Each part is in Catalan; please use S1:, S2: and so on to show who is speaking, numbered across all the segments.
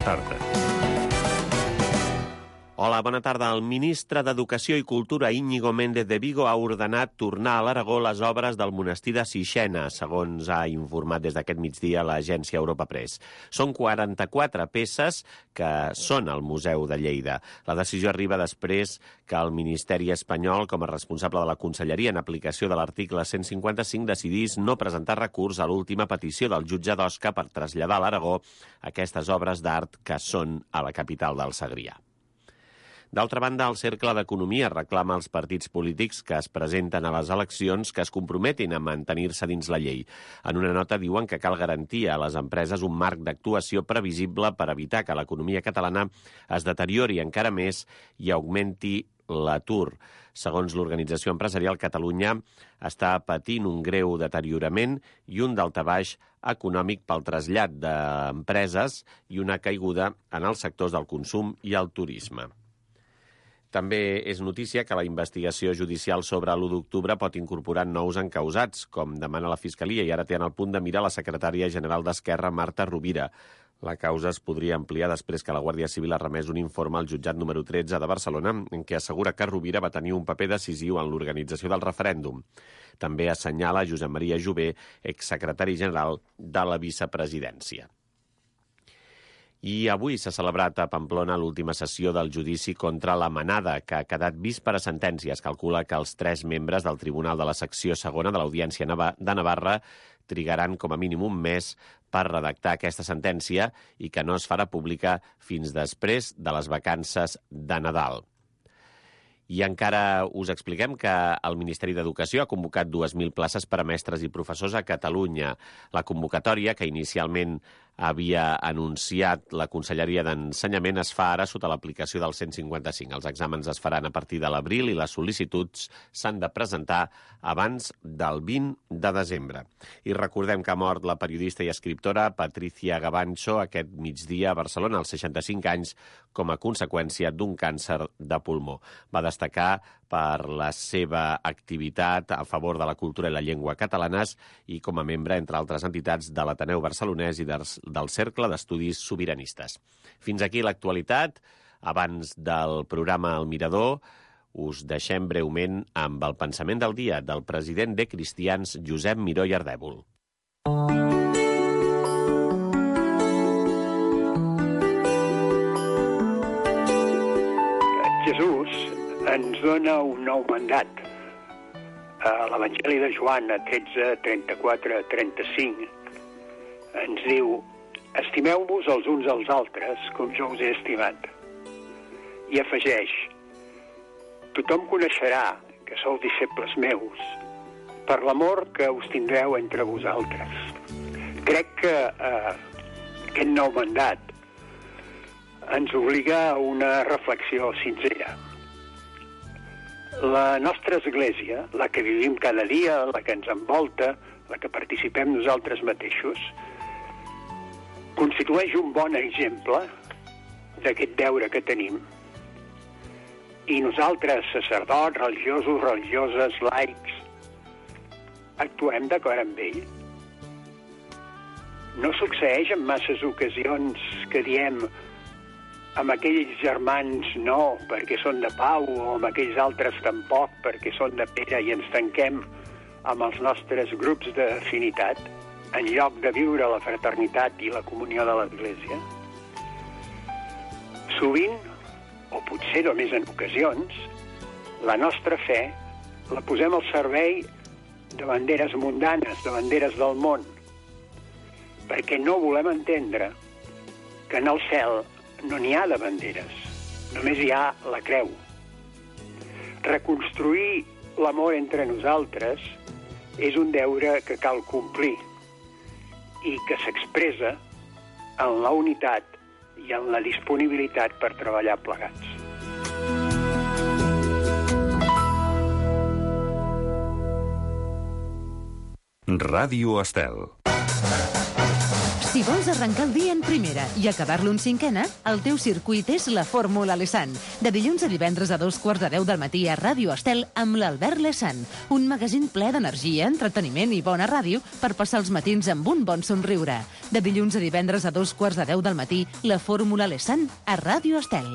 S1: Tarda.
S2: Hola, bona tarda. El ministre d'Educació i Cultura, Íñigo Méndez de Vigo, ha ordenat tornar a l'Aragó les obres del monestir de Sixena, segons ha informat des d'aquest migdia l'agència Europa Press. Són 44 peces que són al Museu de Lleida. La decisió arriba després que el Ministeri espanyol, com a responsable de la Conselleria en aplicació de l'article 155, decidís no presentar recurs a l'última petició del jutge d'Osca per traslladar a l'Aragó aquestes obres d'art que són a la capital del Segrià. D'altra banda, el Cercle d'Economia reclama als partits polítics que es presenten a les eleccions que es comprometin a mantenir-se dins la llei. En una nota diuen que cal garantir a les empreses un marc d'actuació previsible per evitar que l'economia catalana es deteriori encara més i augmenti l'atur. Segons l'organització empresarial, Catalunya està patint un greu deteriorament i un daltabaix econòmic pel trasllat d'empreses i una caiguda en els sectors del consum i el turisme. També és notícia que la investigació judicial sobre l'1 d'octubre pot incorporar nous encausats, com demana la Fiscalia, i ara té en el punt de mira la secretària general d'Esquerra, Marta Rovira. La causa es podria ampliar després que la Guàrdia Civil ha remès un informe al jutjat número 13 de Barcelona en què assegura que Rovira va tenir un paper decisiu en l'organització del referèndum. També assenyala Josep Maria Jové, exsecretari general de la vicepresidència. I avui s'ha celebrat a Pamplona l'última sessió del judici contra la Manada, que ha quedat vist per a sentència. Es calcula que els 3 membres del Tribunal de la Secció Segona de l'Audiència de Navarra trigaran com a mínim un mes per redactar aquesta sentència i que no es farà pública fins després de les vacances de Nadal. I encara us expliquem que el Ministeri d'Educació ha convocat 2.000 places per a mestres i professors a Catalunya. La convocatòria, que inicialment havia anunciat la Conselleria d'Ensenyament, es fa ara sota l'aplicació del 155. Els exàmens es faran a partir de l'abril i les sol·licituds s'han de presentar abans del 20 de desembre. I recordem que ha mort la periodista i escriptora Patricia Gavancho aquest migdia a Barcelona, als 65 anys, com a conseqüència d'un càncer de pulmó. Va destacar per la seva activitat a favor de la cultura i la llengua catalanes i com a membre, entre altres entitats, de l'Ateneu Barcelonès i del Cercle d'Estudis Sobiranistes. Fins aquí l'actualitat. Abans del programa El Mirador, us deixem breument amb el pensament del dia del president de Cristians, Josep Miró i Ardèvol.
S3: Jesús ens dona un nou mandat. A l'Evangeli de Joan, 13, 34, 35, ens diu: estimeu-vos els uns als altres com jo us he estimat. I afegeix: tothom coneixerà que sou disciples meus per l'amor que us tindreu entre vosaltres. Crec que aquest nou mandat ens obliga a una reflexió sincera. La nostra església, la que vivim cada dia, la que ens envolta, la que participem nosaltres mateixos, constitueix un bon exemple d'aquest deure que tenim. I nosaltres, sacerdots, religiosos, religioses, laics, actuem d'acord amb ell. No succeeix en masses ocasions que diem amb aquells germans no, perquè són de Pau, o amb aquells altres tampoc, perquè són de Pere, i ens tanquem amb els nostres grups d'afinitat, en lloc de viure la fraternitat i la comunió de l'Església. Sovint, o potser només en ocasions, la nostra fe la posem al servei de banderes mundanes, de banderes del món, perquè no volem entendre que en el cel no n'hi ha de banderes, només hi ha la creu. Reconstruir l'amor entre nosaltres és un deure que cal complir i que s'expressa en la unitat i en la disponibilitat per treballar plegats.
S1: Ràdio Estel. Si vols arrencar el dia en primera i acabar-lo en cinquena, el teu circuit és la Fórmula Lesan. De dilluns a divendres a 2:15 del matí a Ràdio Estel amb l'Albert Lesan. Un magazín ple d'energia, entreteniment i bona ràdio per passar els matins amb un bon somriure. De dilluns a divendres a 2:15 del matí, la Fórmula Lesan a Ràdio Estel.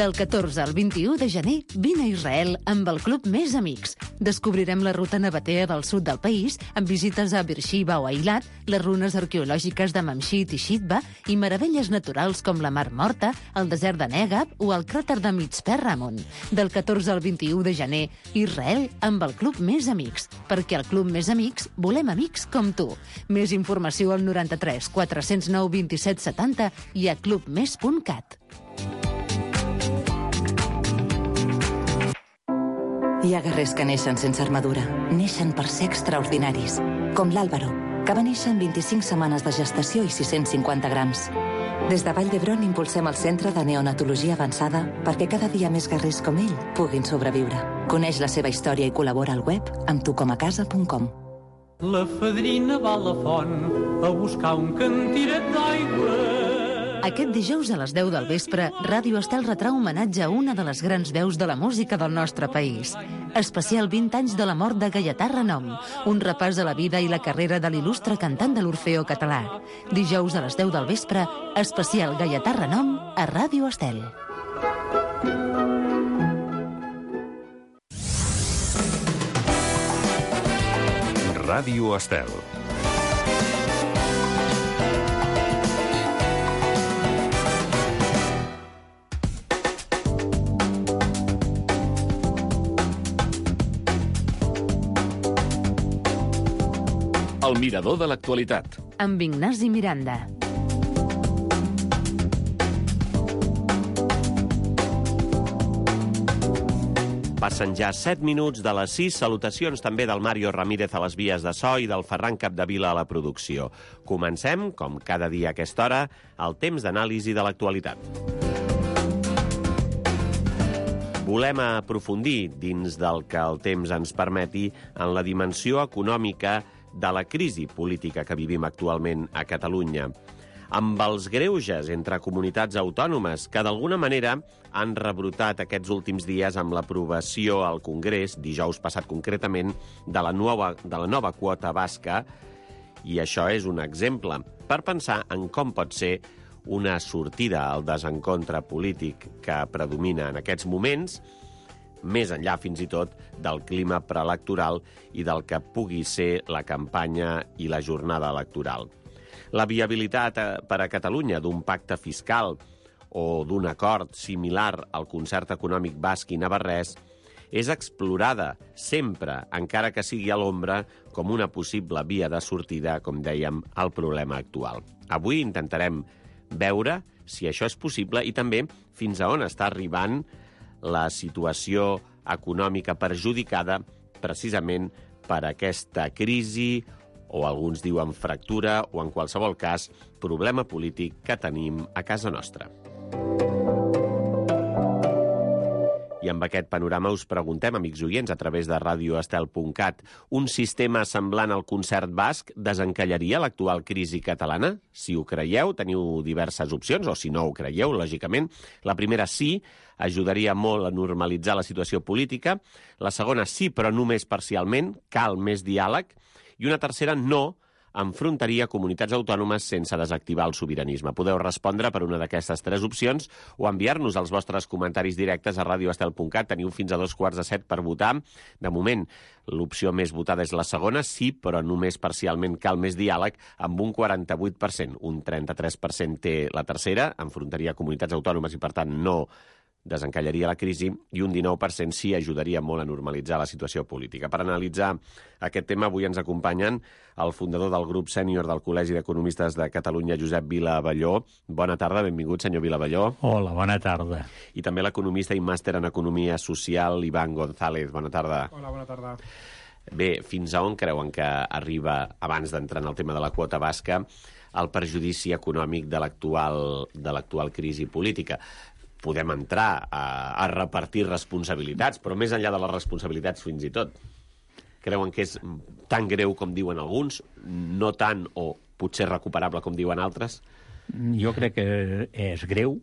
S1: Del 14 al 21 de gener, vine a Israel amb el Club Més Amics. Descobrirem la ruta nabatea del sud del país, amb visites a Beersheba o Eilat, les runes arqueològiques de Mamshit i Shitba i meravelles naturals com la Mar Morta, el desert de Negab o el cràter de Mitzpe Ramon. Del 14 al 21 de gener, Israel amb el Club Més Amics. Perquè al Club Més Amics volem amics com tu. Més informació al 93 409 27 70 i a clubmes.cat.
S4: Hi ha guerrers que neixen sense armadura. Neixen per ser extraordinaris. Com l'Àlvaro, que va néixer en 25 setmanes de gestació i 650 grams. Des de Vall d'Hebron impulsem el Centre de Neonatologia Avançada perquè cada dia més guerrers com ell puguin sobreviure. Coneix la seva història i col·labora al web amb tucomacasa.com.
S5: La fadrina va a la font a buscar un cantiret d'aigua.
S1: Aquest dijous a les 10 del vespre, Ràdio Estel retrà homenatge a una de les grans veus de la música del nostre país. Especial 20 anys de la mort de Gaietà Renom, un repàs a la vida i la carrera de l'il·lustre cantant de l'Orfeó català. Dijous a les 10 del vespre, especial Gaietà Renom a Ràdio Estel.
S6: Ràdio Estel. El mirador de l'actualitat.
S1: Amb Ignasi Miranda.
S2: Passen ja 7 minuts de les 6. Salutacions també del Mario Ramírez a les vies de so i del Ferran Capdevila a la producció. Comencem, com cada dia a aquesta hora, el temps d'anàlisi de l'actualitat. Volem aprofundir, dins del que el temps ens permeti, en la dimensió econòmica de la crisi política que vivim actualment a Catalunya, amb els greuges entre comunitats autònomes que d'alguna manera han rebrotat aquests últims dies amb l'aprovació al Congrés, dijous passat concretament, de la nova quota basca, i això és un exemple per pensar en com pot ser una sortida al desencontre polític que predomina en aquests moments, més enllà fins i tot del clima preelectoral i del que pugui ser la campanya i la jornada electoral. La viabilitat per a Catalunya d'un pacte fiscal o d'un acord similar al concert econòmic basc i navarrès és explorada sempre, encara que sigui a l'ombra, com una possible via de sortida, com dèiem, al problema actual. Avui intentarem veure si això és possible i també fins a on està arribant la situació econòmica perjudicada precisament per aquesta crisi, o alguns diuen fractura, o en qualsevol cas, problema polític que tenim a casa nostra. I amb aquest panorama us preguntem, amics oients, a través de radioestel.cat, un sistema semblant al concert basc desencallaria l'actual crisi catalana? Si ho creieu, teniu diverses opcions, o si no ho creieu, lògicament. La primera, sí, ajudaria molt a normalitzar la situació política. La segona, sí, però només parcialment, cal més diàleg. I una tercera, no, enfrontaria comunitats autònomes sense desactivar el sobiranisme. Podeu respondre per una d'aquestes 3 opcions o enviar-nos els vostres comentaris directes a radioestel.cat. Teniu fins a 6:45 per votar. De moment, l'opció més votada és la segona, sí, però només parcialment cal més diàleg, amb un 48%. Un 33% té la tercera, enfrontaria comunitats autònomes i, per tant, no desencallaria la crisi, i un 19% sí ajudaria molt a normalitzar la situació política. Per analitzar aquest tema, avui ens acompanyen el fundador del grup sènior del Col·legi d'Economistes de Catalunya, Josep Vila-Abelló. Bona tarda, benvingut, senyor Vila-Abelló.
S7: Hola, bona tarda.
S2: I també l'economista i màster en Economia Social, Iván González. Bona tarda.
S8: Hola, bona tarda.
S2: Bé, fins a on creuen que arriba, abans d'entrar en el tema de la quota basca, el perjudici econòmic de l'actual crisi política? Podem entrar a repartir responsabilitats, però més enllà de les responsabilitats fins i tot. Creuen que és tan greu com diuen alguns, no tant o potser recuperable com diuen altres?
S7: Jo crec que és greu,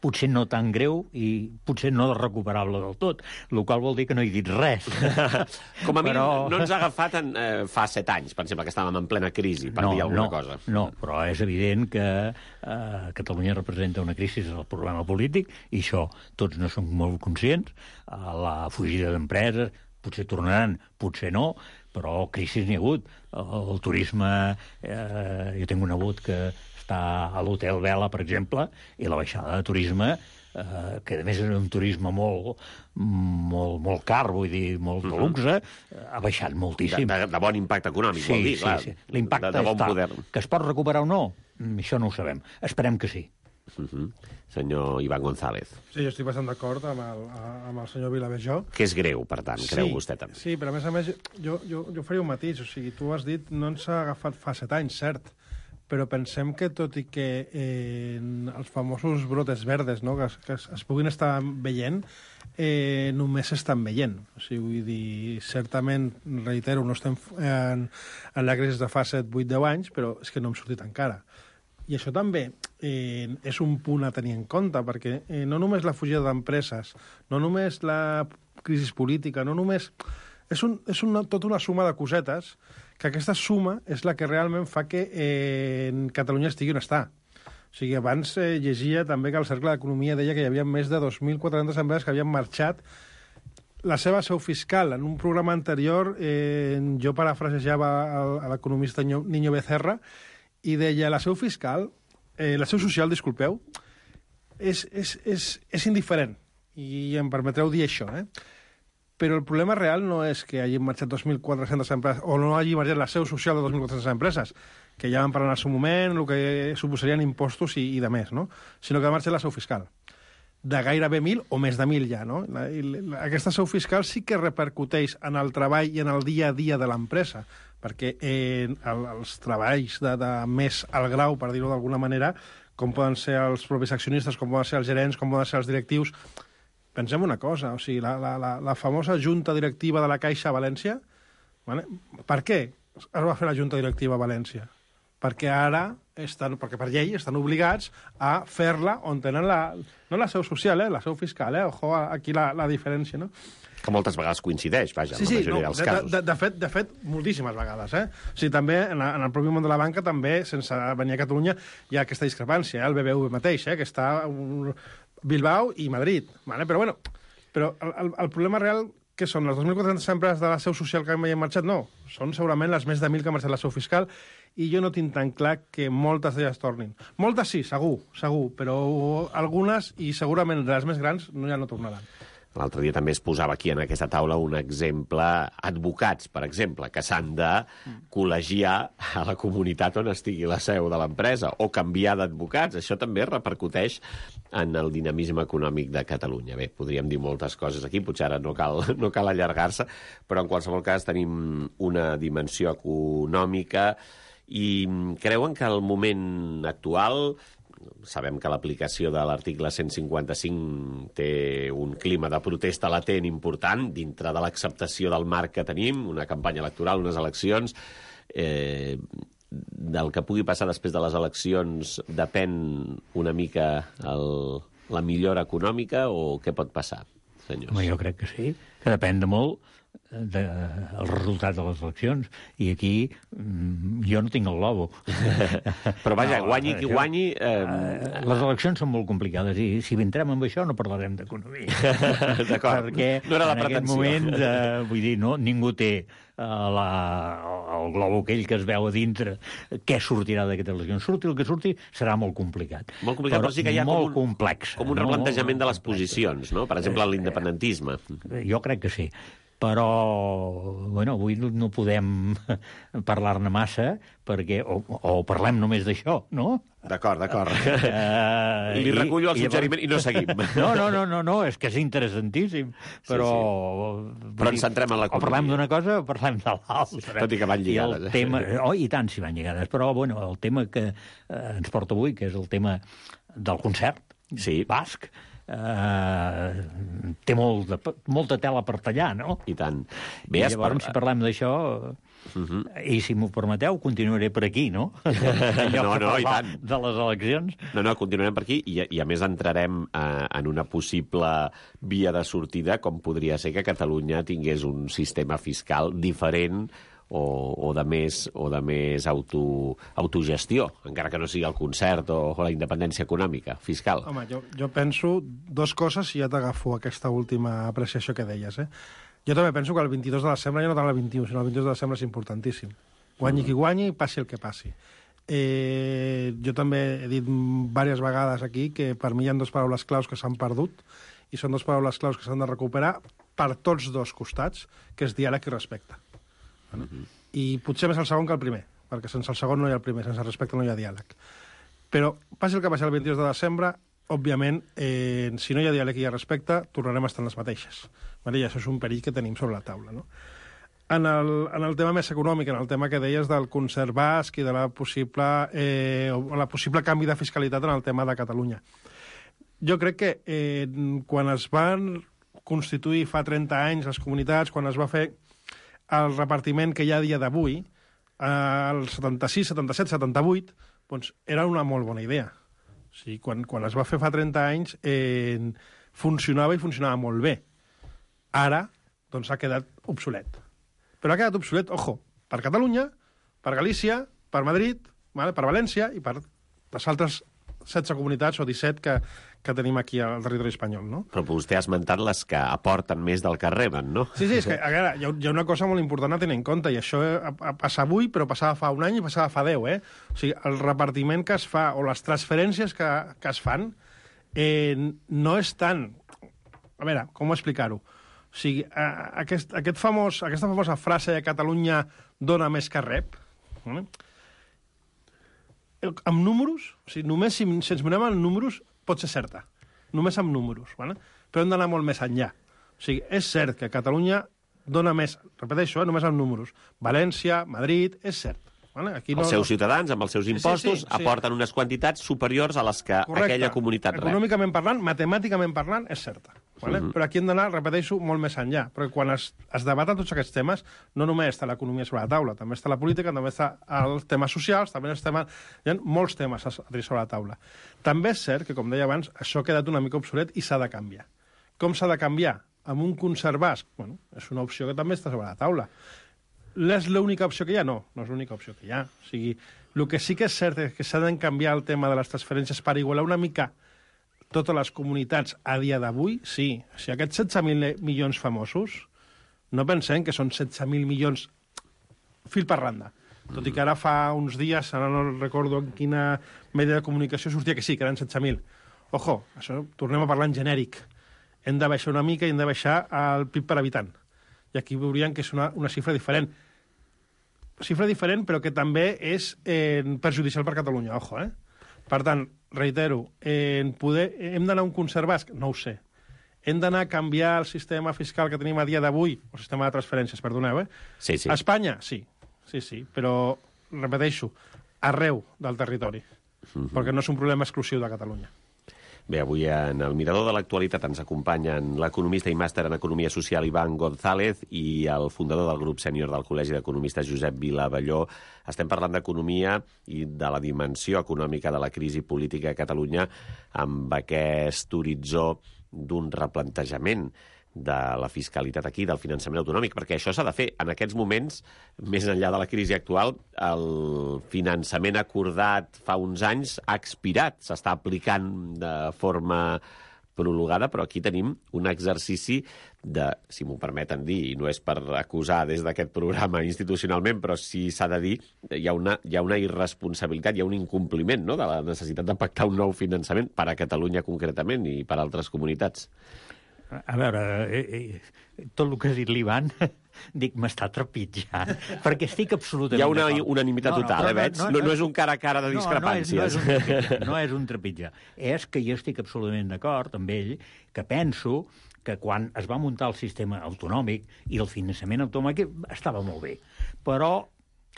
S7: potser no tan greu i potser no recuperable del tot, el qual vol dir que no he dit res.
S2: Com a mínim, no ens ha agafat fa 7 anys, per exemple, que estàvem en plena crisi, per dir alguna cosa.
S7: No, però és evident que Catalunya representa una crisi del problema polític, i això tots no som molt conscients. La fugida d'empreses, potser tornaran, potser no, però crisi n'hi ha hagut. El turisme, jo tinc un nebot que està a l'Hotel Vela, per exemple, i la baixada de turisme, que a més és un turisme molt car, vull dir, molt de luxe, ha baixat moltíssim.
S2: De bon impacte econòmic, vol dir, clar.
S7: Sí. L'impacte
S2: de bon
S7: està.
S2: poder.
S7: Que es pot recuperar o no? Això no ho sabem. Esperem que sí.
S2: Senyor Iván González.
S8: Sí, jo estic bastant d'acord amb el senyor Vilavejó.
S2: Que és greu, per tant, creu vostè també.
S8: Sí, però a més, jo faria un matís. O sigui, tu has dit, no ens ha agafat fa 7 anys, cert, però pensem que tot i que els famosos brotes verdes, no, que es puguin estar veient, només s'estan veient. O sigui, vull dir, certament, reitero, no estem en la crisi de fa 7, 8, 10 anys, però és que no hem sortit encara. I això també és un punt a tenir en compte, perquè no només la fugida d'empreses, no només la crisi política, no només... És tota una suma de cosetes, que aquesta suma és la que realment fa que Catalunya estigui on està. O sigui, abans llegia també que el Cercle d'Economia deia que hi havia més de 2.400 empreses que havien marxat la seva seu fiscal. En un programa anterior jo parafrasejava a l'economista Niño Becerra i deia la seu fiscal, la seu social, disculpeu, és indiferent. I em permetreu dir això, Però el problema real no és que hagin marxat 2.400 empreses o no hagi marxat la seu social de 2.400 empreses, que ja van parlar en el seu moment, el que suposarien impostos i de més, no? Sinó que ha marxat la seu fiscal. De gairebé 1.000 o més de 1.000 ja, no? Aquesta seu fiscal sí que repercuteix en el treball i en el dia a dia de l'empresa, perquè els treballs de més alt grau, per dir-ho d'alguna manera, com poden ser els propis accionistes, com poden ser els gerents, com poden ser els directius... Pensem una cosa, o sigui, la famosa junta directiva de la Caixa a València, vale? Per què es va fer la junta directiva a València? Perquè ara, perquè per llei, estan obligats a fer-la on tenen no la seu social, la seu fiscal, ojo, aquí la diferència, no?
S2: Que moltes vegades coincideix, vaja, en la majoria dels casos.
S8: De fet, moltíssimes vegades, O sigui, també, en el propi món de la banca, també, sense venir a Catalunya, hi ha aquesta discrepància, el BBV mateix, que està... Bilbao i Madrid, ¿vale? Però el problema real, que són les 2.400 empreses de la seu social que han marxat? No, són segurament les més de 1.000 que han marxat la seu fiscal, i jo no tinc tan clar que moltes d'elles tornin. Moltes sí, segur, però algunes, i segurament les més grans, ja no tornaran.
S2: L'altre dia també es posava aquí en aquesta taula un exemple, advocats, per exemple, que s'han de col·legiar a la comunitat on estigui la seu de l'empresa, o canviar d'advocats. Això també repercuteix en el dinamisme econòmic de Catalunya. Bé, podríem dir moltes coses aquí, potser ara no cal allargar-se, però en qualsevol cas tenim una dimensió econòmica i creuen que el moment actual... Sabem que l'aplicació de l'article 155 té un clima de protesta latent important dintre de l'acceptació del marc que tenim, una campanya electoral, unes eleccions. Del que pugui passar després de les eleccions depèn una mica la millora econòmica o què pot passar, senyors?
S7: Home, jo crec que sí, que depèn de molt del resultat de les eleccions, i aquí jo no tinc el globo.
S2: Però vaja, guanyi qui guanyi...
S7: Les eleccions són molt complicades, i si entrem amb això no parlarem d'economia.
S2: D'acord,
S7: perquè
S2: no era la
S7: en aquest moment, vull dir, ningú té el globo aquell que es veu a dintre, què sortirà d'aquestes eleccions. Surti el que surti, serà molt complicat.
S2: Molt complicat, però sí que hi ha
S7: complex.
S2: Com un replantejament de les posicions, no? Per exemple, l'independentisme.
S7: Jo crec que sí. Però, bueno, avui no podem parlar-ne massa, perquè o parlem només d'això, no?
S2: D'acord. Li recullo el suggeriment i no seguim.
S7: No, és que és interessantíssim, però...
S2: Sí. Però ens centrem en l'economia.
S7: O parlem d'una cosa o parlem de l'altra.
S2: Tot i que van lligades.
S7: I tant, si van lligades. Però, bueno, el tema que ens porta avui, que és el tema del concert basc, té molta tela per tallar, no?
S2: I tant.
S7: I llavors, si parlem d'això... I si m'ho permeteu, continuaré per aquí, no?
S2: No, i tant.
S7: De les eleccions.
S2: No, continuarem per aquí i a més entrarem en una possible via de sortida, com podria ser que Catalunya tingués un sistema fiscal diferent o de més autogestió, encara que no sigui el concert o la independència econòmica, fiscal.
S8: Home, jo penso dues coses i ja t'agafo aquesta última apreciació que deies, Jo també penso que el 22 de desembre, ja no tant el 21, sinó el 22 de desembre és importantíssim. Guanyi qui guanyi, passi el que passi. Jo també he dit diverses vegades aquí que per mi hi ha dues paraules claus que s'han perdut i són dues paraules claus que s'han de recuperar per tots dos costats, que és diàleg i respecte. I potser més el segon que el primer, perquè sense el segon no hi ha el primer, sense respecte no hi ha diàleg. Però passi el que passi el 22 de desembre, òbviament, si no hi ha diàleg i hi ha respecte, tornarem a estar en les mateixes. I això és un perill que tenim sobre la taula. No? En el tema més econòmic, en el tema que deies del concert basc i de la possible canvi de fiscalitat en el tema de Catalunya. Jo crec que quan es van constituir fa 30 anys les comunitats, quan es va fer el repartiment que hi ha a dia d'avui, el 76, 77, 78, doncs era una molt bona idea. O sigui, quan es va fer fa 30 anys funcionava i funcionava molt bé. Ara, doncs, ha quedat obsolet. Però ha quedat obsolet, ojo, per Catalunya, per Galícia, per Madrid, per València i per les altres 16 comunitats o 17 que tenim aquí al territori espanyol, no?
S2: Però vostè ha esmentat les que aporten més del que reben, no?
S8: Sí, és que a veure, hi ha una cosa molt important a tenir en compte, i això passa avui, però passava fa un any i passava fa 10, O sigui, el repartiment que es fa o les transferències que es fan no és tant... A veure, com explicar-ho? O sigui, aquesta famosa frase de Catalunya dona més que rep, amb números, o sigui, només si ens mirem en números pot ser certa, només amb números, però hem d'anar molt més enllà. O sigui, és cert que Catalunya dona més, repeteixo, només amb números. València, Madrid, és cert. Aquí
S2: els seus ciutadans, amb els seus impostos, aporten unes quantitats superiors a les que aquella comunitat rep.
S8: Econòmicament parlant, matemàticament parlant, és certa. Però aquí hem d'anar, repeteixo, molt més enllà. Perquè quan es debaten tots aquests temes, no només està l'economia sobre la taula, també està la política, també està els temes socials, també hi ha molts temes a tenir sobre la taula. També és cert que, com deia abans, això ha quedat una mica obsolet i s'ha de canviar. Com s'ha de canviar? Amb un concert basc? Bueno, és una opció que també està sobre la taula. És l'única opció que hi ha? No, no és l'única opció que hi ha. O sigui, el que sí que és cert és que s'ha de canviar el tema de les transferències per igualar una mica totes les comunitats a dia d'avui, sí. O sigui, aquests 16.000 milions famosos, no pensem que són 16.000 milions fil per randa. Tot i que ara fa uns dies, ara no recordo en quina mèdia de comunicació sortia que sí, que eren 16.000. Ojo, això tornem a parlar en genèric. Hem de baixar una mica i hem de baixar el PIB per habitant. I aquí veurien que és una xifra diferent. Xifra diferent, però que també és perjudicial per Catalunya, ojo, Per tant, reitero, hem d'anar a un concert basc? No ho sé. Hem d'anar a canviar el sistema fiscal que tenim a dia d'avui, o sistema de transferències, perdoneu,
S2: Sí.
S8: A Espanya, sí, però, repeteixo, arreu del territori, perquè no és un problema exclusiu de Catalunya.
S2: Bé, avui en el Mirador de l'Actualitat ens acompanyen l'economista i màster en Economia Social Iván González i el fundador del grup sènior del Col·legi d'Economistes Josep Vilavelló. Estem parlant d'economia i de la dimensió econòmica de la crisi política a Catalunya amb aquest horitzó d'un replantejament de la fiscalitat aquí, del finançament autonòmic, perquè això s'ha de fer. En aquests moments, més enllà de la crisi actual, el finançament acordat fa uns anys ha expirat, s'està aplicant de forma prolongada, però aquí tenim un exercici de, si m'ho permeten dir, i no és per acusar des d'aquest programa institucionalment, però sí s'ha de dir, hi ha una irresponsabilitat, hi ha un incompliment, no?, de la necessitat de pactar un nou finançament per a Catalunya concretament i per a altres comunitats.
S7: A veure, tot el que ha dit l'Ivan, dic, m'està trepitjant, perquè estic absolutament
S2: d'acord. Hi ha una unanimitat total, veig? No és un cara a cara de discrepàncies.
S7: No és un trepitjar. És que jo estic absolutament d'acord amb ell, que penso que quan es va muntar el sistema autonòmic i el finançament autonòmic estava molt bé. Però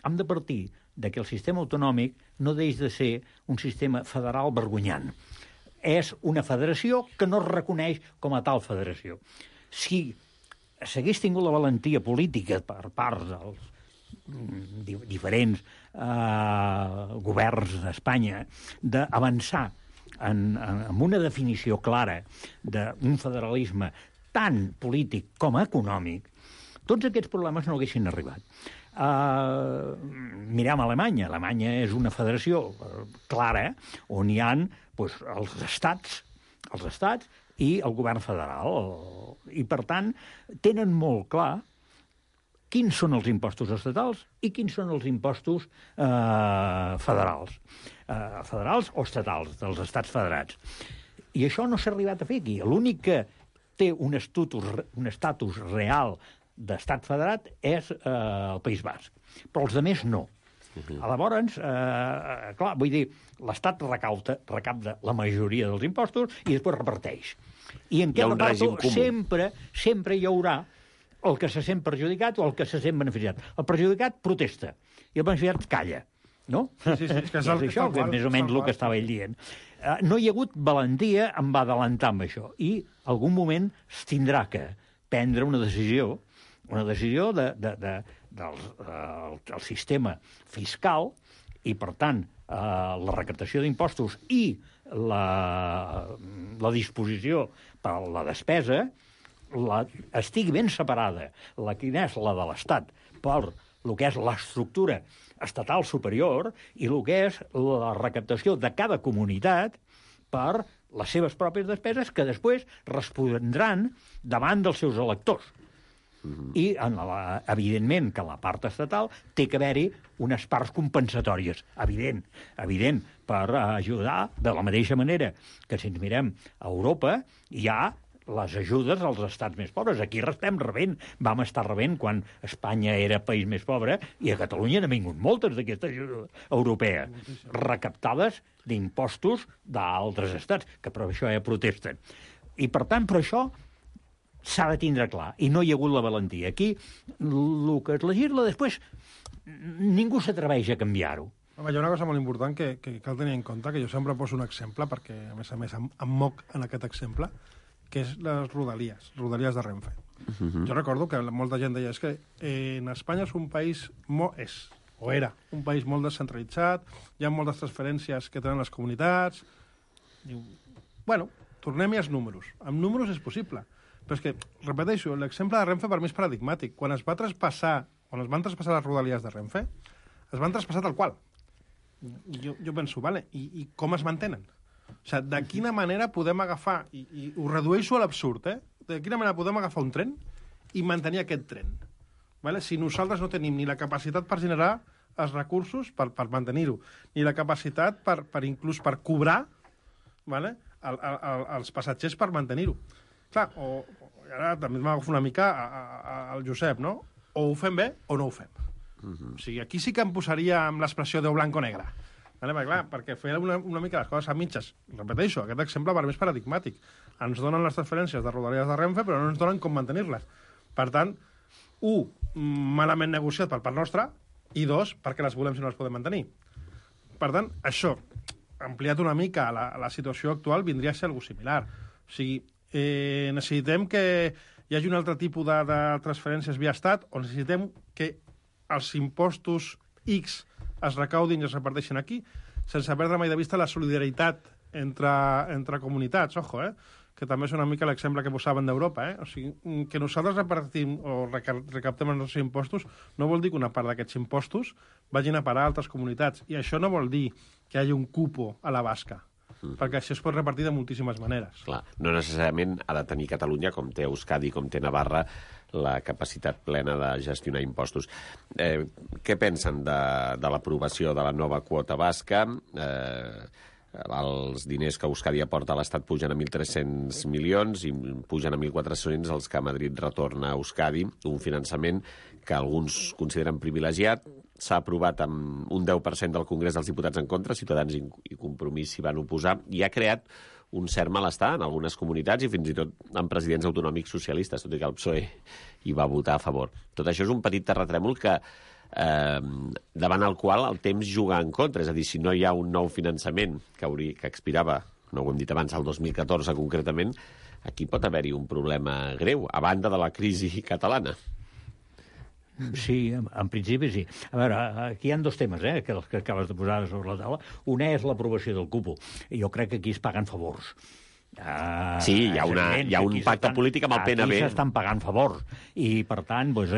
S7: hem de partir que el sistema autonòmic no deix de ser un sistema federal vergonyant. és una federació que no es reconeix com a tal federació. Si s'hagués tingut la valentia política per part dels diferents governs d'Espanya d'avançar en una definició clara d'un federalisme tant polític com econòmic, tots aquests problemes no haguessin arribat. Mirem Alemanya. Alemanya és una federació clara on hi ha els estats i el govern federal. I, per tant, tenen molt clar quins són els impostos estatals i quins són els impostos federals. Federals o estatals, dels estats federats. I això no s'ha arribat a fer aquí. L'únic que té un estatus real d'estat federat és el País Basc. Però els altres no. Llavors, clar, vull dir, l'Estat recapta la majoria dels impostos i després reparteix. I en què reparto sempre hi haurà el que se sent perjudicat o el que se sent beneficiat. El perjudicat protesta i el beneficiat calla. No?
S8: Sí, és que és
S7: això, més o menys el que estava ell dient. No hi ha hagut valentia en adelantar amb això. I algun moment es tindrà que prendre una decisió del sistema fiscal i, per tant, la recaptació d'impostos i la disposició per a la despesa estigui ben separada, quina és la de l'Estat, per el que és l'estructura estatal superior i el que és la recaptació de cada comunitat per les seves pròpies despeses que després respondran davant dels seus electors. I, evidentment, que en la part estatal té que haver-hi unes parts compensatòries. Evident, per ajudar de la mateixa manera que si ens mirem a Europa hi ha les ajudes als estats més pobres. Aquí estem rebent, vam estar rebent quan Espanya era país més pobre i a Catalunya n'han vingut moltes d'aquestes ajudes europees, recaptades d'impostos d'altres estats, que per això ja protesten. I, per tant, per això s'ha de tindre clar, i no hi ha hagut la valentia. Aquí, el que es legisla després, ningú s'atreveix a canviar-ho.
S8: Home, hi ha una cosa molt important que cal tenir en compte, que jo sempre poso un exemple, perquè, a més, em moc en aquest exemple, que és les rodalies de Renfe. Jo recordo que molta gent deia que en Espanya és un país era un país molt descentralitzat, hi ha moltes transferències que tenen les comunitats. Diu, bueno, tornem-hi als números. Amb números és possible. Però és que, repeteixo, l'exemple de Renfe per mi és paradigmàtic. Quan es van traspassar les rodalies de Renfe, es van traspassar tal qual. Jo penso, vale, i com es mantenen? O sigui, de quina manera podem agafar, i ho redueixo a l'absurd, de quina manera podem agafar un tren i mantenir aquest tren? Vale? Si nosaltres no tenim ni la capacitat per generar els recursos per mantenir-ho, ni la capacitat inclús per cobrar, vale? els passatgers per mantenir-ho. Clar, ara també m'agafo una mica al Josep, no? O ho fem bé o no ho fem. O sigui, aquí sí que em posaria amb l'expressió de blanc o negre. Perquè fer una mica les coses a mitges, repeteixo, aquest exemple per mi és paradigmàtic. Ens donen les transferències de rodalies de Renfe, però no ens donen com mantenir-les. Per tant, malament negociat per part nostra, i dos, perquè les volem si no les podem mantenir. Per tant, això, ampliat una mica a la situació actual, vindria a ser alguna similar. O sigui, necessitem que hi hagi un altre tipus de transferències via estat, o necessitem que els impostos X es recaudin i es reparteixen aquí, sense perdre mai de vista la solidaritat entre comunitats, que també és una mica l'exemple que posaven d'Europa. O sigui, que nosaltres repartim o recaptem els nostres impostos no vol dir que una part d'aquests impostos vagin a parar a altres comunitats. I això no vol dir que hi hagi un cupo a la basca, perquè això es pot repartir de moltíssimes maneres.
S2: Clar, no necessàriament ha de tenir Catalunya, com té Euskadi, com té Navarra, la capacitat plena de gestionar impostos. Què pensen de l'aprovació de la nova quota basca? Els diners que Euskadi aporta a l'Estat pugen a 1.300 milions i pugen a 1.400 els que Madrid retorna a Euskadi, un finançament que alguns consideren privilegiat. S'ha aprovat amb un 10% del Congrés dels Diputats en contra, Ciutadans i Compromís s'hi van oposar, i ha creat un cert malestar en algunes comunitats i fins i tot en presidents autonòmics socialistes, tot i que el PSOE hi va votar a favor. Tot això és un petit terratrèmol que davant el qual el temps juga en contra. És a dir, si no hi ha un nou finançament que expirava no ho hem dit abans, el 2014 concretament, aquí pot haver-hi un problema greu, a banda de la crisi catalana.
S7: Sí, en principi sí. A veure, aquí hi ha dos temes, que acabes de posar sobre la taula. Un és l'aprovació del cupo. Jo crec que aquí es paguen favors.
S2: Sí, hi ha un pacte polític amb el PNB.
S7: Aquí s'estan pagant favors. I, per tant, doncs,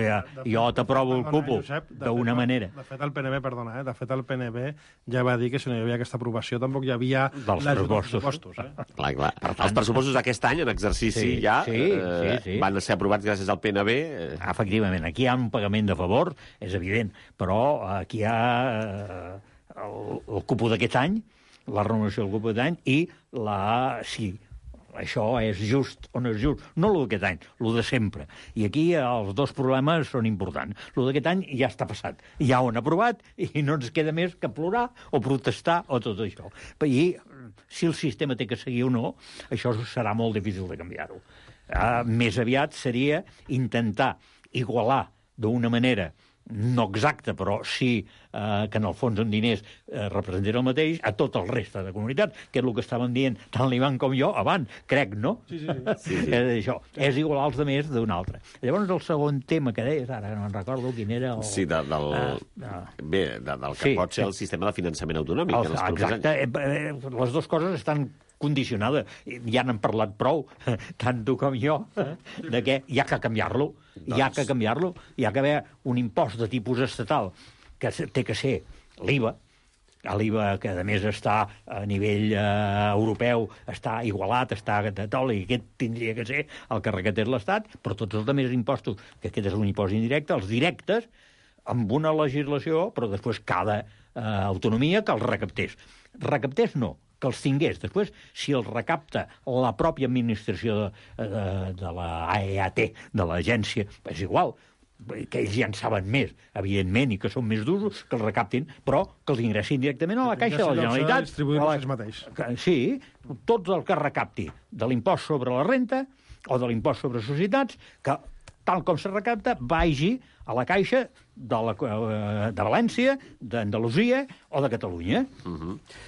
S7: jo t'aprovo el cupo d'una manera.
S8: De fet, el PNB, perdona, de fet, el PNB ja va dir que si no hi havia aquesta aprovació tampoc hi havia
S7: dels pressupostos.
S2: Clar. Els pressupostos d'aquest any, en exercici, van ser aprovats gràcies al PNB.
S7: Efectivament, aquí hi ha un pagament de favor, és evident, però aquí hi ha el cupo d'aquest any, la renovació del cupo d'aquest any, i si això és just o no és just, no el d'aquest any, el de sempre. I aquí els dos problemes són importants. El d'aquest any ja està passat, ja ho han aprovat i no ens queda més que plorar o protestar o tot això. I si el sistema té que seguir o no, això serà molt difícil de canviar-ho. Més aviat seria intentar igualar d'una manera no exacte, però sí que en el fons en diners representa el mateix a tot el reste de comunitats, que és el que estàvem dient tant l'Ivan com jo abans, crec, no?
S8: Sí.
S7: Això, és igualar els altres d'un altre. Llavors el segon tema que deies, ara no en recordo quin era...
S2: Sí, del que pot ser el sistema de finançament autonòmic.
S7: Exacte, les dues coses estan condicionada. Ja n'han parlat prou, tant tu com jo, de que hi ha que canviar-lo. Hi ha que canviar-lo. Hi ha que haver un impost de tipus estatal que té que ser l'IVA, l'IVA que a més està a nivell europeu, està igualat, està i aquest tindria que ser el que recatés l'Estat, però tots els altres impostos, que aquest és un impost indirecte, els directes, amb una legislació, però després cada autonomia que els recaptés. Recaptés no, que els tingués. Després, si els recapta la pròpia administració de l'AEAT, de l'agència, és igual, que ells ja en saben més, evidentment, i que són més d'usos, que els recaptin, però que els ingressin directament a la Caixa de la Generalitat.
S8: Distribuir-los mateix.
S7: Sí, tots el que recapti de l'impost sobre la renta o de l'impost sobre societats, que tal com se recapta, vagi a la Caixa de València, d'Andalusia o de Catalunya.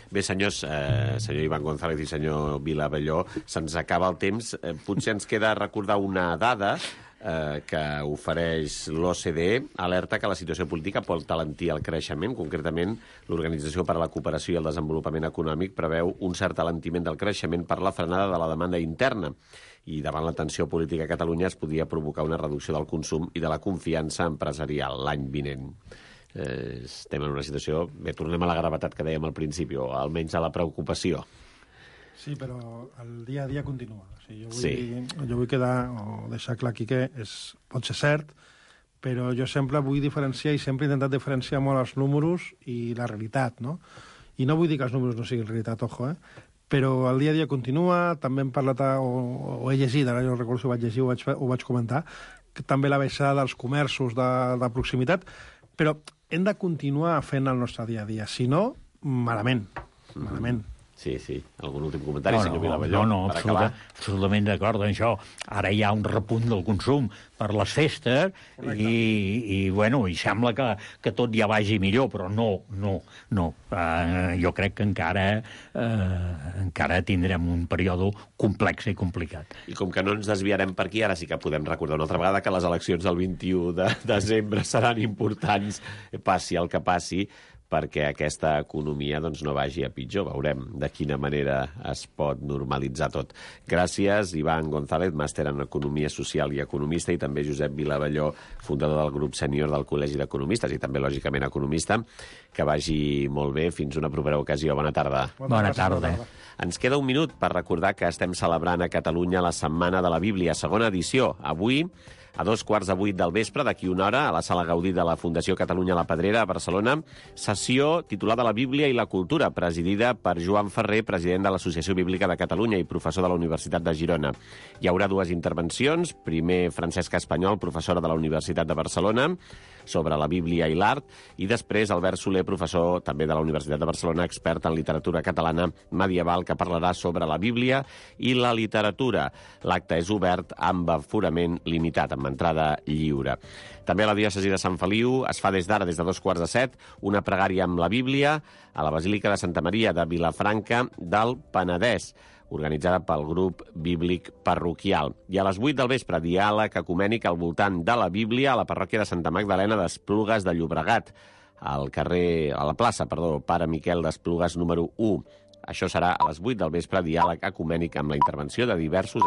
S2: Bé, senyors, senyor Ivan González i senyor Vilavelló, se'ns acaba el temps. Potser ens queda recordar una dada que ofereix l'OCDE, alerta que la situació política pot alentir el creixement. Concretament, l'Organització per a la Cooperació i el Desenvolupament Econòmic preveu un cert alentiment del creixement per la frenada de la demanda interna. I davant la tensió política a Catalunya es podia provocar una reducció del consum i de la confiança empresarial l'any vinent. Estem en una situació... Bé, tornem a la gravetat que dèiem al principi, o almenys a la preocupació.
S8: Sí, però el dia a dia continua. O sigui, jo vull quedar o deixar clar aquí que pot ser cert, però jo sempre vull diferenciar i sempre he intentat diferenciar molt els números i la realitat, no? I no vull dir que els números no siguin realitat, ojo, però el dia a dia continua, també hem parlat o he llegit, ara jo recordo si ho vaig llegir o vaig comentar, que també la baixada dels comerços de proximitat, però hem de continuar fent el nostre dia a dia, si no, malament.
S2: Sí. Algun últim comentari, senyor Vilavelló?
S7: No, absolutament d'acord amb això. Ara hi ha un repunt del consum per les festes i sembla que tot ja vagi millor, però no. Jo crec que encara tindrem un període complex i complicat.
S2: I com que no ens desviarem per aquí, ara sí que podem recordar una altra vegada que les eleccions del 21 de desembre seran importants, passi el que passi, perquè aquesta economia no vagi a pitjor. Veurem de quina manera es pot normalitzar tot. Gràcies, Ivan González, màster en Economia Social i economista, i també Josep Vilavelló, fundador del grup sènior del Col·legi d'Economistes i també, lògicament, economista. Que vagi molt bé. Fins una propera ocasió. Bona tarda.
S7: Bona tarda.
S2: Ens queda un minut per recordar que estem celebrant a Catalunya la Setmana de la Bíblia, segona edició. Avui, a 7:45 del vespre, d'aquí una hora, a la Sala Gaudí de la Fundació Catalunya La Pedrera, a Barcelona, sessió titulada La Bíblia i la Cultura, presidida per Joan Ferrer, president de l'Associació Bíblica de Catalunya i professor de la Universitat de Girona. Hi haurà dues intervencions. Primer, Francesca Espanyol, professora de la Universitat de Barcelona, sobre la Bíblia i l'art, i després Albert Soler, professor també de la Universitat de Barcelona, expert en literatura catalana medieval, que parlarà sobre la Bíblia i la literatura. L'acte és obert amb aforament limitat, amb entrada lliure. També a la diòcesi de Sant Feliu es fa des d'ara, des de 2:45, una pregària amb la Bíblia a la Basílica de Santa Maria de Vilafranca del Penedès, organitzada pel grup bíblic parroquial. I a les 8 del vespre, diàleg ecumènic al voltant de la Bíblia a la parròquia de Santa Magdalena d'Esplugues de Llobregat, a la plaça, Pare Miquel d'Esplugues número 1. Això serà a les 8 del vespre, diàleg ecumènic amb la intervenció de diversos